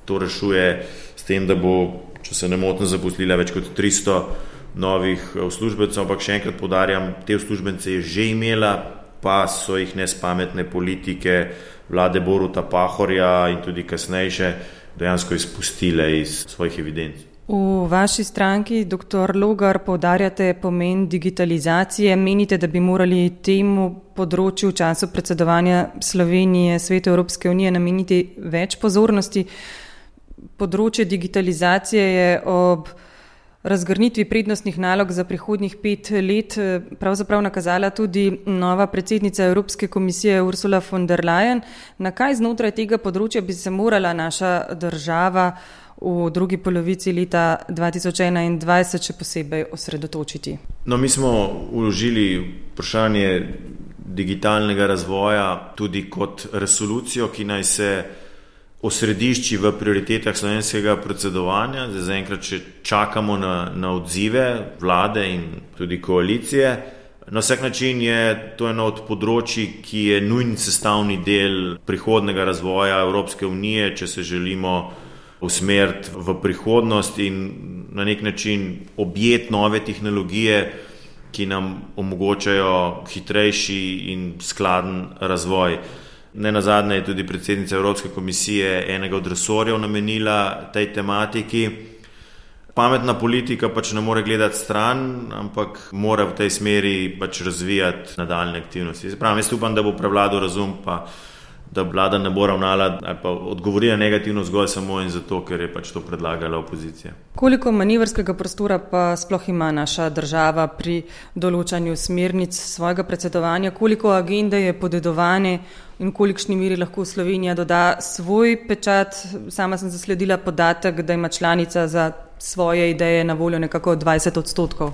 to rešuje s tem, da bo, če se ne motim, zaposlila več kot 300 novih uslužbencev, ampak še enkrat poudarjam, te uslužbence je že imela, pa so jih nespametne politike vlade Boruta Pahorja in tudi kasnejše dejansko izpustile iz svojih evidenc. V vaši stranki, dr. Logar, poudarjate pomen digitalizacije. Menite, da bi morali temu področju v času predsedovanja Slovenije Svetu Evropske unije nameniti več pozornosti? področje digitalizacije je ob razgrnitvi prednostnih nalog za prihodnjih 5 let pravzaprav nakazala tudi nova predsednica Evropske komisije Ursula von der Leyen. Na kaj znotraj tega področja bi se morala naša država v drugi polovici leta 2021 še posebej osredotočiti? No, mi smo vložili vprašanje digitalnega razvoja tudi kot resolucijo, ki naj se osredišči v prioritetah slovenskega predsedovanja. Zaenkrat še čakamo na odzive vlade in tudi koalicije. Na vsak način je to eno od področij, ki je nujni sestavni del prihodnega razvoja Evropske unije, če se želimo usmeriti v prihodnost in na nek način objeti nove tehnologije, ki nam omogočajo hitrejši in skladen razvoj. Nenazadnje je tudi predsednica Evropske komisije enega od resorjev namenila tej tematiki. Pametna politika pač ne more gledati stran, ampak mora v tej smeri pač razvijati nadaljne aktivnosti. Jaz upam, da bo prevladal razum, pa da vlada ne bo ravnala ali pa odgovorila negativno zgolj samo in zato, ker je pač to predlagala opozicija. Koliko manevrskega prostora pa sploh ima naša država pri določanju smernic svojega predsedovanja? Koliko agende je podedovane in v kolikšni meri lahko Slovenija doda svoj pečat? Sama sem zasledila podatek, da ima članica za svoje ideje na voljo nekako 20%.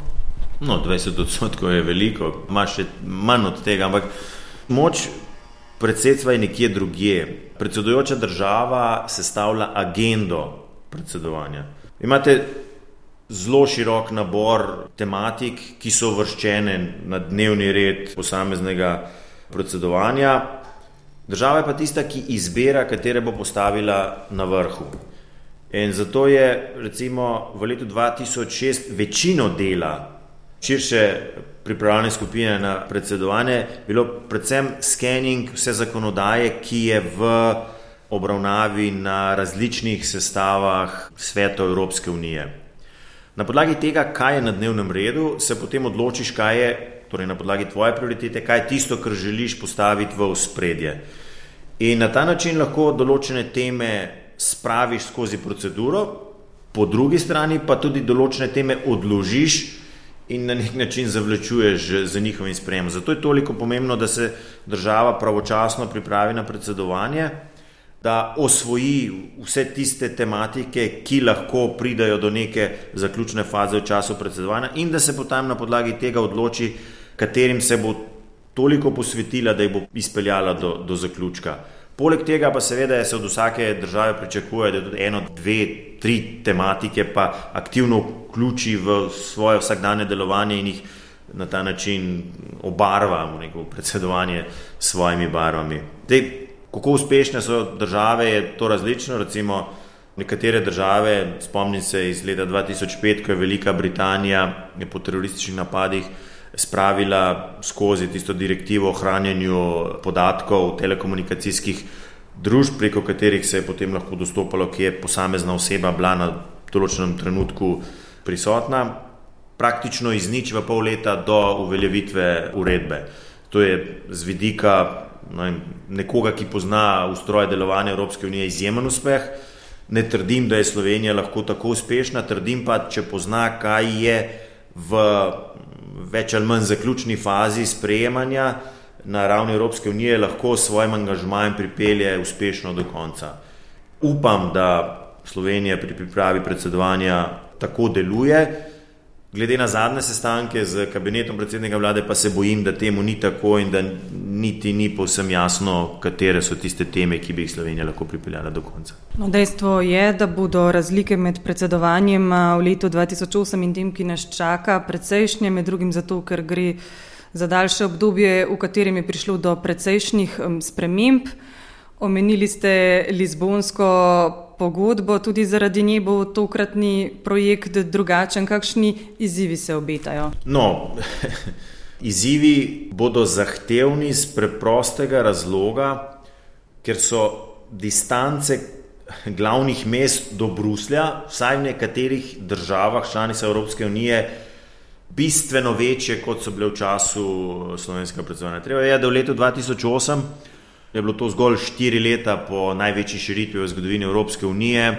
No, 20% je veliko, ima še manj od tega, ampak moč predsedstva je nekje drugje. Predsedujoča država sestavlja agendo predsedovanja. Imate zelo širok nabor tematik, ki so uvrščene na dnevni red posameznega predsedovanja. Država je pa tista, ki izbira, katere bo postavila na vrhu. In zato je recimo v letu 2006 večino dela širše pripravljene skupine na predsedovanje bilo predvsem scanning vse zakonodaje, ki je v obravnavi na različnih sestavah svetov Evropske unije. Na podlagi tega, kaj je na dnevnem redu, se potem odločiš, kaj je, torej na podlagi tvoje prioritete, kaj je tisto, kar želiš postaviti v ospredje. In na ta način lahko določene teme spraviš skozi proceduro, po drugi strani pa tudi določene teme odložiš in na nek način zavlačuješ za njihovim sprejemom. Zato je toliko pomembno, da se država pravočasno pripravi na predsedovanje, da osvoji vse tiste tematike, ki lahko pridajo do neke zaključne faze v času predsedovanja in da se potem na podlagi tega odloči, katerim se bo toliko posvetila, da jih bo izpeljala do zaključka. Poleg tega pa seveda se od vsake države pričakuje, da tudi 1, 2, 3 tematike pa aktivno vključi v svoje vsakdanje delovanje in jih na ta način obarva v predsedovanje s svojimi barvami. Kako uspešne so države, je to različno. Recimo nekatere države, spomnim se iz leta 2005, ko je Velika Britanija po terorističnih napadih spravila skozi tisto direktivo o hranjenju podatkov telekomunikacijskih družb, preko katerih se je potem lahko dostopalo, kje je posamezna oseba bila na določenem trenutku prisotna, praktično iz nič v pol leta do uveljavitve uredbe. To je z vidika nekoga, ki pozna ustroj delovanja Evropske unije, izjemen uspeh. Ne trdim, da je Slovenija lahko tako uspešna, trdim pa, če pozna, kaj je v več ali manj zaključni fazi sprejemanja na ravni Evropske unije, lahko s svojim angažmajem pripelje uspešno do konca. Upam, da Slovenija pri pripravi predsedovanja tako deluje. Glede na zadnje sestanke z kabinetom predsednika vlade pa se bojim, da temu ni tako in da niti ni povsem jasno, katere so tiste teme, ki bi jih Slovenija lahko pripeljala do konca. No, dejstvo je, da bodo razlike med predsedovanjem v letu 2008 in tem, ki nas čaka, precejšnje, med drugim zato, ker gre za daljše obdobje, v katerem je prišlo do precejšnjih sprememb. Omenili ste Lizbonsko pogodbo, tudi zaradi nje bo tokratni projekt drugačen. Kakšni izzivi se obetajo? No, izzivi bodo zahtevni z preprostega razloga, ker so distance glavnih mest do Bruslja, vsaj v nekaterih državah članicah Evropske unije, bistveno večje, kot so bile v času slovenskega predsedovanja. Treba je, da v letu 2008 je bilo to zgolj 4 leta po največji širitvi v zgodovini Evropske unije.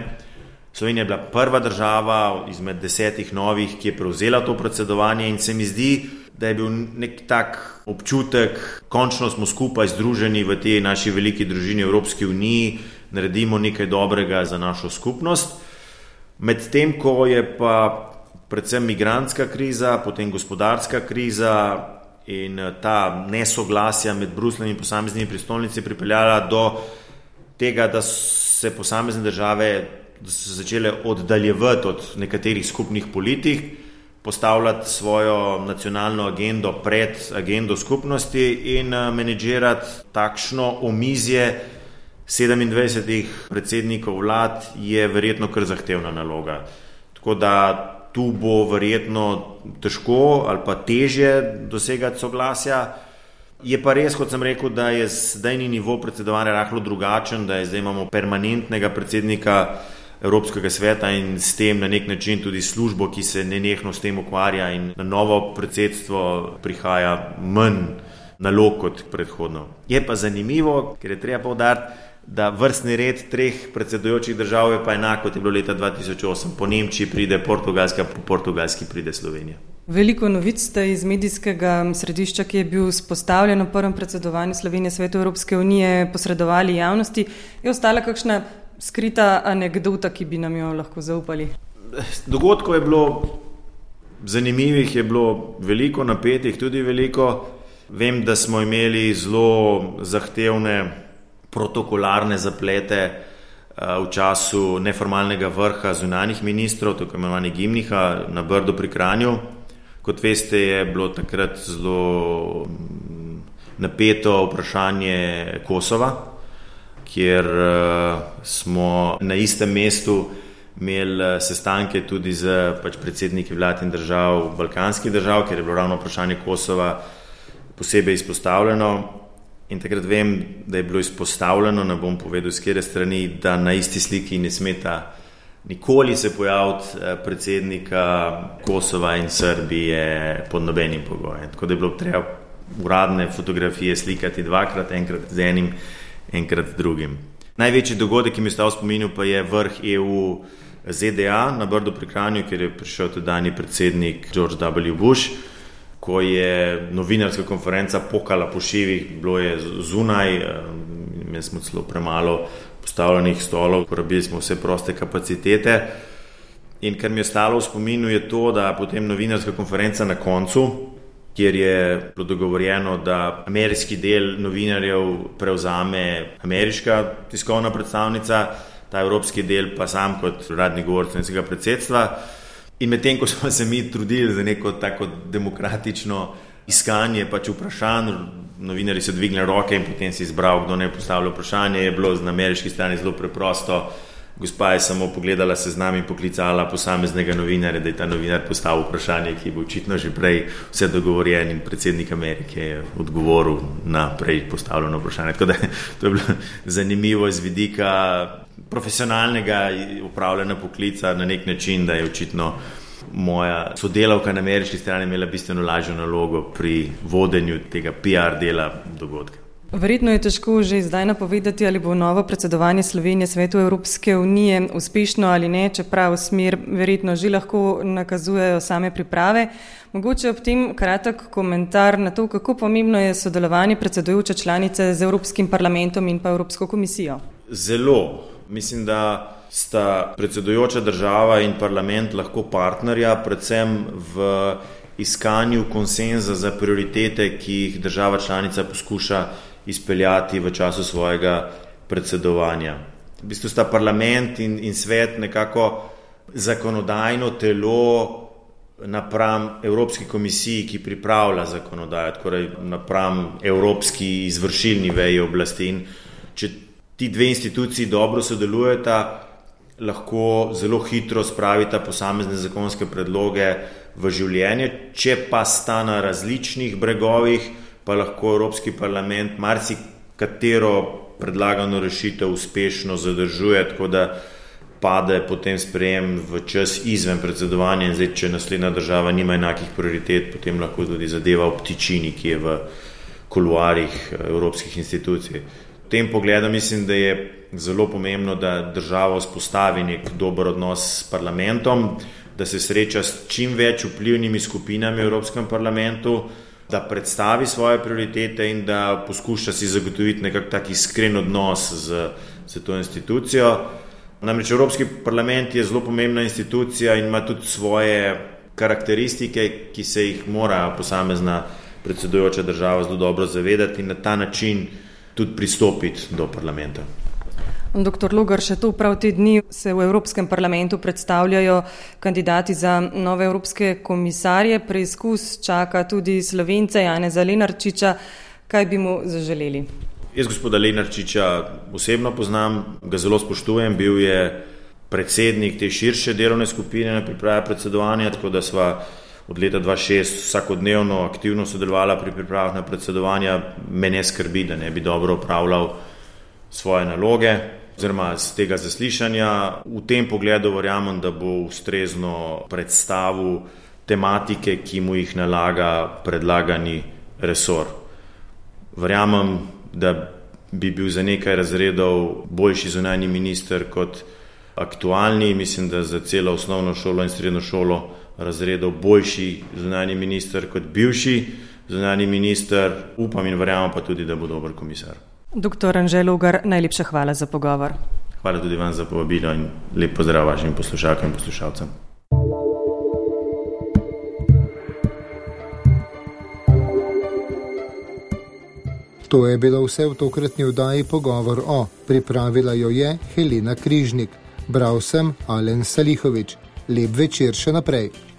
Slovenija je bila prva država izmed 10 novih, ki je prevzela to predsedovanje in se mi zdi, da je bil nek tak občutek, končno smo skupaj združeni v tej naši veliki družini Evropski uniji, naredimo nekaj dobrega za našo skupnost. Medtem, ko je pa predvsem migrantska kriza, potem gospodarska kriza in ta nesoglasja med Brusljem in posameznimi prestolnicami pripeljala do tega, da se posamezne države so začele oddaljevati od nekaterih skupnih politik, postavljati svojo nacionalno agendo pred agendo skupnosti in menedžirati takšno omizje 27 predsednikov vlad je verjetno kar zahtevna naloga. Tako da tu bo verjetno težko ali pa težje dosegati soglasja. Je pa res, kot sem rekel, da je zdajni nivo predsedovanja rahlo drugačen, da zdaj imamo permanentnega predsednika Evropskega sveta in s tem na nek način tudi službo, ki se nenehno s tem ukvarja in na novo predsedstvo prihaja manj nalog kot predhodno. Je pa zanimivo, ker je treba poudariti, da vrstni red 3 predsedujočih držav je pa enak, kot je bilo leta 2008. Po Nemčiji pride Portugalska, po portugalski pride Slovenija. Veliko novic ste iz medijskega središča, ki je bil vzpostavljen v prvem predsedovanju Slovenije Svetu Evropske unije, posredovali javnosti. Je ostala kakšna skrita anekdota, ki bi nam jo lahko zaupali? Dogodkov je bilo zanimivih, je bilo veliko, napetih tudi veliko. Vem, da smo imeli zelo zahtevne protokolarne zaplete v času neformalnega vrha zunanjih ministrov, tako imenovani Gimniha na Brdu pri Kranju. Kot veste, je bilo takrat zelo napeto vprašanje Kosova, kjer smo na istem mestu imeli sestanke tudi z predsedniki vlad in držav, balkanskih držav, kjer je bilo ravno vprašanje Kosova posebej izpostavljeno. In takrat vem, da je bilo izpostavljeno, ne bom povedal s katere strani, da na isti sliki ne smeta nikoli se pojaviti predsednika Kosova in Srbije pod nobenim pogojem. Tako da je bilo treba uradne fotografije slikati dvakrat, enkrat z enim, enkrat drugim. Največji dogodek, ki mi je ostal v spominu, pa je vrh EU ZDA na Brdu pri Kranju, kjer je prišel tedajni predsednik George W. Bush, ko je novinarska konferenca pokala po šivih, bilo je zunaj, imeli smo celo premalo postavljenih stolov, porabili smo vse proste kapacitete. In kar mi je ostalo v spominu je to, da potem novinarska konferenca na koncu, kjer je bilo dogovorjeno, da ameriški del novinarjev prevzame ameriška tiskovna predstavnica, ta evropski del pa sam kot uradni govorec slovenskega predsedstva. In medtem, ko smo se mi trudili za neko tako demokratično iskanje vprašanj, novinarji so dvignili roke in potem si izbral, kdo ne postavlja vprašanje, je bilo na ameriški strani zelo preprosto. Gospa je samo pogledala seznam in poklicala posameznega novinarja, da je ta novinar postavil vprašanje, ki je bil očitno že prej vse dogovorjen in predsednik Amerike je odgovoril na prej postavljeno vprašanje. Tako da to je bilo zanimivo iz vidika profesionalnega upravljanja poklica na nek način, da je očitno moja sodelavka na ameriški strani imela bistveno lažjo nalogo pri vodenju tega PR dela dogodka. Verjetno je težko že zdaj napovedati, ali bo novo predsedovanje Slovenije Svetu Evropske unije uspešno ali ne, čeprav smer verjetno že lahko nakazujejo same priprave. Mogoče ob tem kratek komentar na to, kako pomembno je sodelovanje predsedujoče članice z Evropskim parlamentom in pa Evropsko komisijo. Zelo. Mislim, da sta predsedujoča država in parlament lahko partnerja, predvsem v iskanju konsenza za prioritete, ki jih država članica poskuša izpeljati v času svojega predsedovanja. V bistvu sta parlament in svet nekako zakonodajno telo napram Evropski komisiji, ki pripravlja zakonodajo, torej napram Evropski izvršilni veji oblasti. In če ti dve instituciji dobro sodelujeta, lahko zelo hitro spravita posamezne zakonske predloge v življenje. Če pa sta na različnih bregovih, pa lahko Evropski parlament marsikatero predlagano rešitev uspešno zadržuje, tako da pade potem sprejem v čas izven predsedovanja in zdaj, če naslednja država nima enakih prioritet, potem lahko tudi zadeva obtičini, ki je v kuluarih evropskih institucij. tem pogledu mislim, da je zelo pomembno, da država vzpostavi nek dober odnos s parlamentom, da se sreča s čim več vplivnimi skupinami v Evropskem parlamentu, da predstavi svoje prioritete in da poskuša si zagotoviti nekak tak iskren odnos z to institucijo. Namreč Evropski parlament je zelo pomembna institucija in ima tudi svoje karakteristike, ki se jih mora posamezna predsedujoča država zelo dobro zavedati in na ta način tudi pristopiti do parlamenta. Doktor Logar, še to prav te dni se v Evropskem parlamentu predstavljajo kandidati za nove evropske komisarje. Preizkus čaka tudi Slovence Janeza Lenarčiča. Kaj bi mu zaželeli? Jaz gospoda Lenarčiča osebno poznam, ga zelo spoštujem, bil je predsednik te širše delovne skupine na pripravi predsedovanja, tako da sva od leta 2006 vsakodnevno aktivno sodelovala pri pripravah na predsedovanja. Mene skrbi, da ne bi dobro opravljal svoje naloge oziroma z tega zaslišanja. V tem pogledu verjamem, da bo ustrezno predstavil tematike, ki mu jih nalaga predlagani resor. Verjamem, da bi bil za nekaj razredov boljši zunanji minister kot aktualni. Mislim, da za celo osnovno šolo in srednjo šolo razredov boljši zunanji minister kot bivši zunanji minister. Upam in verjamem pa tudi, da bo dober komisar. Doktor Anže Logar, najlepša hvala za pogovor. Hvala tudi vam za povabilo in lep pozdrav vašim poslušalkam in poslušalcem. To je bilo vse v tokratni oddaji Pogovor o. Pripravila jo je Helena Križnik. Bral sem Alen Salihovič. Lep večer še naprej.